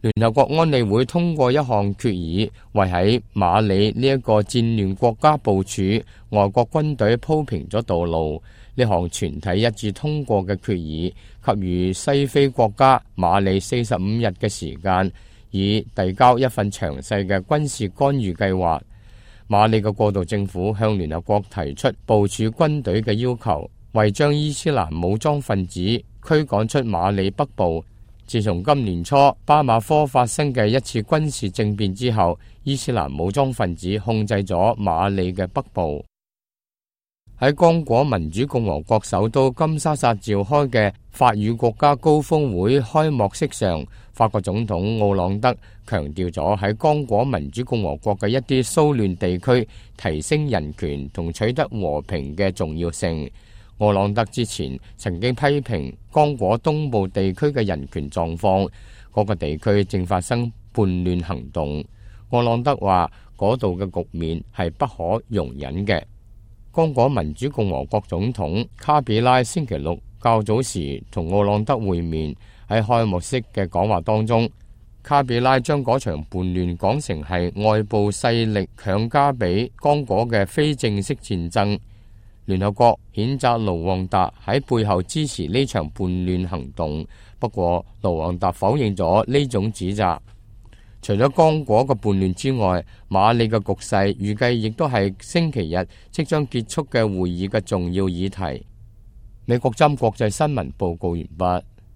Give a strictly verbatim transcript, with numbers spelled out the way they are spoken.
聯合國安理會通過一項決議，為喺馬里呢一個戰亂國家部署外國軍隊鋪平咗道路。呢項全體一致通過嘅決議，給予西非國家馬里四十五日嘅時間，以遞交一份詳細嘅軍事干預計劃。馬里嘅過渡政府向聯合國提出部署軍隊嘅要求，為將伊斯蘭武裝分子驅趕出馬里北部。自從今年初巴馬科發生嘅一次軍事政變之後，伊斯蘭武裝分子控制咗馬里嘅北部。喺剛果民主共和國首都金沙薩召開嘅法語國家高峰會開幕式上，法國總統奧朗德強調咗喺剛果民主共和國嘅一啲騷亂地區提升人權同取得和平嘅重要性。奧朗德之前曾經批評剛果東部地區嘅人權狀況，嗰個地區正發生叛亂行動。奧朗德話嗰度嘅局面係不可容忍嘅。剛果民主共和國總統卡比拉星期六較早時同奧朗德會面，喺開幕式嘅講話當中，卡比拉將嗰場叛亂講成係外部勢力強加俾剛果嘅非正式戰爭。聯合國譴責盧旺達喺背後支持呢場叛亂行動，不過盧旺達否認咗呢種指責。除咗剛果嘅叛亂之外，馬里嘅局勢預計亦都係星期日即將結束嘅會議嘅重要議題。美國針國際新聞報告完畢。